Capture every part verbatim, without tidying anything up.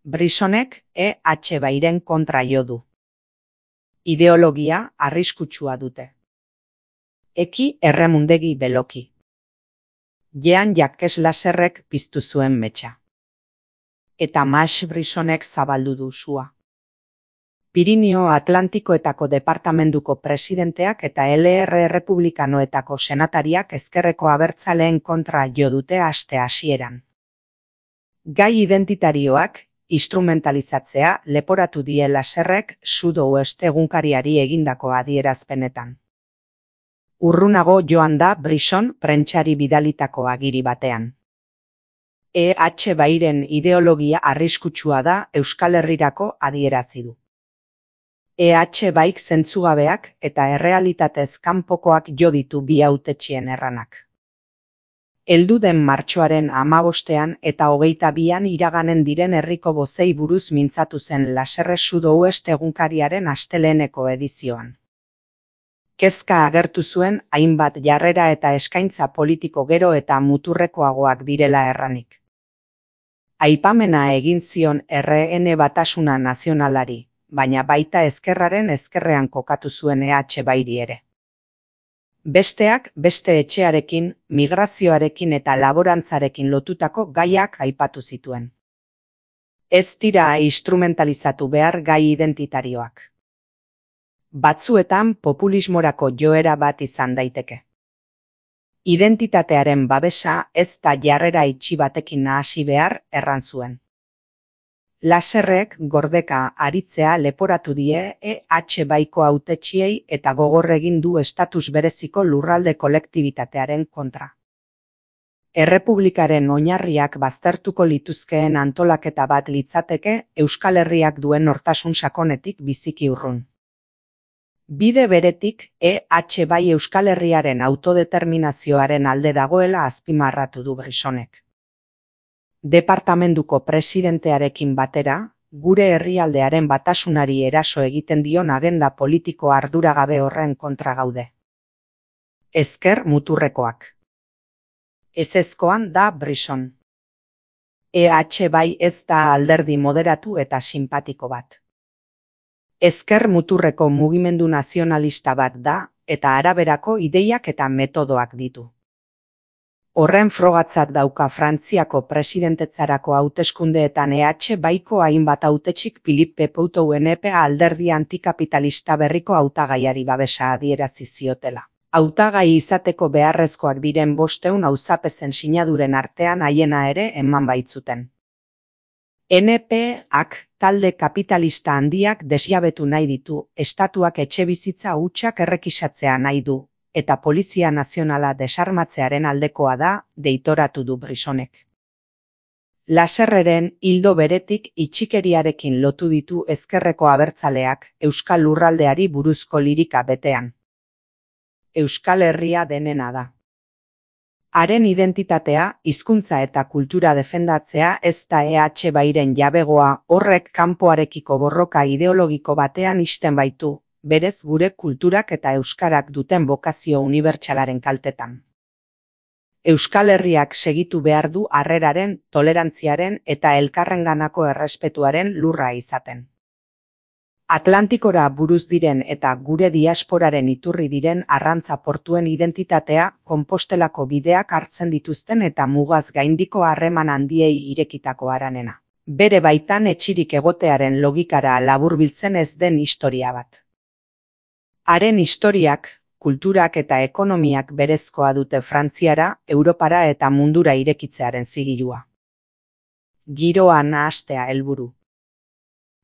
Brisonek E H Bairen kontra jo du. Ideologia arriskutsua dute. Eki erremundegi beloki. Jean Jacques Lasserrek piztu zuen metxa. Eta Max Brisonek zabaldu du sua. Pirinio Atlantikoetako departamenduko presidenteak eta L R Republikanoetako senatariak ezkerreko abertzaleen kontra jo dute aste hasieran. Gai identitarioak instrumentalizatzea leporatu die Lasserrek Sud-Ouest egunkariari egindako adierazpenetan. Urrunago joan da Brison prentsari bidalitako agiri batean. E H Bairen ideologia arriskutsua da Euskal Herrirako adierazi du. E H Baik zentzugabeak eta errealitatez kanpokoak jo ditu bi hautetxien erranak. Heldu den martxoaren hamabostean eta hogeita bian iraganen diren herriko bozei buruz mintzatu zen Lasserre Sud-Ouest egunkariaren asteleheneko edizioan. Kezka agertu zuen hainbat jarrera eta eskaintza politiko gero eta muturrekoagoak direla erranik. Aipamena egin zion R N Batasuna Nazionalari, baina baita ezkerraren ezkerrean kokatu zuen E H Bairi ere. Besteak beste etxearekin, migrazioarekin eta laborantzarekin lotutako gaiak aipatu zituen. Ez dira instrumentalizatu behar gai identitarioak. Batzuetan populismorako joera bat izan daiteke. Identitatearen babesa ez da jarrera itxi batekin nahasi behar erran zuen. Lasserrek gordeka aritzea leporatu die E H Baiko hautetsiei eta gogor egin du estatus bereziko lurralde kolektibitatearen kontra. Errepublikaren oinarriak baztertuko lituzkeen antolaketa bat litzateke Euskal Herriak duen nortasun sakonetik biziki urrun. Bide beretik E H Bai Euskal Herriaren autodeterminazioaren alde dagoela azpimarratu du Brisonek. Departamenduko presidentearekin batera, gure herrialdearen batasunari eraso egiten dion agenda politiko arduragabe horren kontra gaude. Ezker muturrekoak. Ezezkoan da Brison. E H Bai ez da alderdi moderatu eta sinpatiko bat. Ezker muturreko mugimendu nazionalista bat da eta araberako ideiak eta metodoak ditu. Horren frogatzat dauka Frantziako presidentetzarako hauteskundeetan E H Baiko hainbat hautetxik Philippe Poutouen E P A alderdi antikapitalista berriko hautagaiari babesa adierazi ziotela. Hautagai izateko beharrezkoak diren bosteun auzapezen sinaduren artean haiena ere eman baitzuten. N P ak talde kapitalista handiak desjabetu nahi ditu, estatuak etxebizitza hutsak errekisatzea nahi du, eta Polizia Nazionala desarmatzearen aldekoa da, deitoratu du Brisonek. Lasserreren ildo beretik itxikeriarekin lotu ditu ezkerreko abertzaleak Euskal Lurraldeari buruzko lirika betean. Euskal Herria denena da. Haren identitatea, hizkuntza eta kultura defendatzea ez da E H Bairen jabegoa, horrek kanpoarekiko borroka ideologiko batean ixten baitu, berez gure kulturak eta euskarak duten bokazio unibertsalaren kaltetan. Euskal Herriak segitu behar du harreraren, tolerantziaren eta elkarrenganako errespetuaren lurra izaten. Atlantikora buruz diren eta gure diasporaren iturri diren arrantza portuen identitatea Konpostelako bideak hartzen dituzten eta mugaz gaindiko harreman handiei irekitako haranena. Bere baitan etxirik egotearen logikara laburbiltzen ez den historia bat. Haren historiak, kulturak eta ekonomiak berezkoa dute Frantziara, Europara eta mundura irekitzearen zigilua. Giroa nahastea helburu.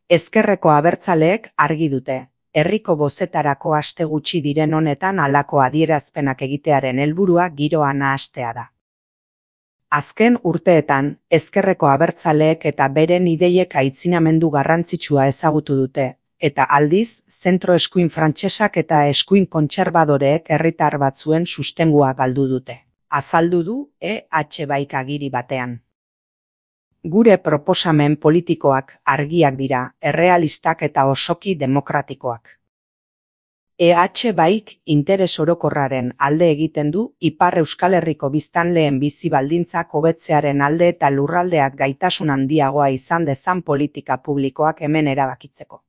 Ezkerreko abertzaleek argi dute, herriko bozetarako aste gutxi diren honetan halako adierazpenak egitearen helburua giroa nahastea da. Azken urteetan, ezkerreko abertzaleek eta beren ideiek aitzinamendu garrantzitsua ezagutu dute, eta aldiz, zentro eskuin frantsesak eta eskuin kontserbadoreek herritar batzuen sustengua galdu dute. Azaldu du E H Baik agiri batean. Gure proposamen politikoak argiak dira, errealistak eta osoki demokratikoak. E H baik interes orokorraren alde egiten du Ipar Euskal Herriko biztanleen bizi baldintzak hobetzearen alde eta lurraldeak gaitasun handiagoa izan dezan politika publikoak hemen erabakitzeko.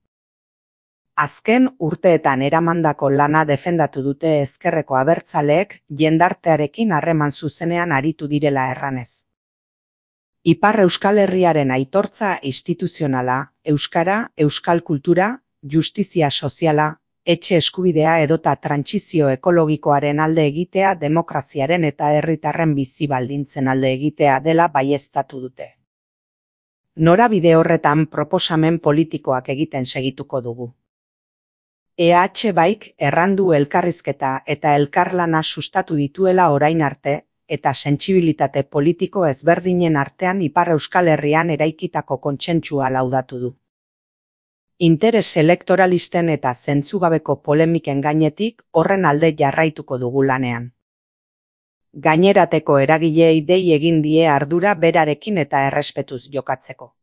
Azken urteetan eramandako lana defendatu dute ezkerreko abertzaleek jendartearekin harreman zuzenean aritu direla erranez. Ipar Euskal Herriaren aitortza instituzionala, euskara, euskal kultura, justizia soziala, etxe eskubidea edota trantsizio ekologikoaren alde egitea demokraziaren eta herritarren bizi baldintzen alde egitea dela baieztatu dute. Norabide horretan proposamen politikoak egiten segituko dugu. E H baik errandu elkarrizketa eta elkarlana sustatu dituela orain arte eta sentsibilitate politiko ezberdinen artean Ipar Euskal Herrian eraikitako kontsentsua laudatu du. Interes elektoralisten eta zentzugabeko polemiken gainetik horren alde jarraituko dugu lanean. Gainerateko eragileei dei egin die ardura berarekin eta errespetuz jokatzeko.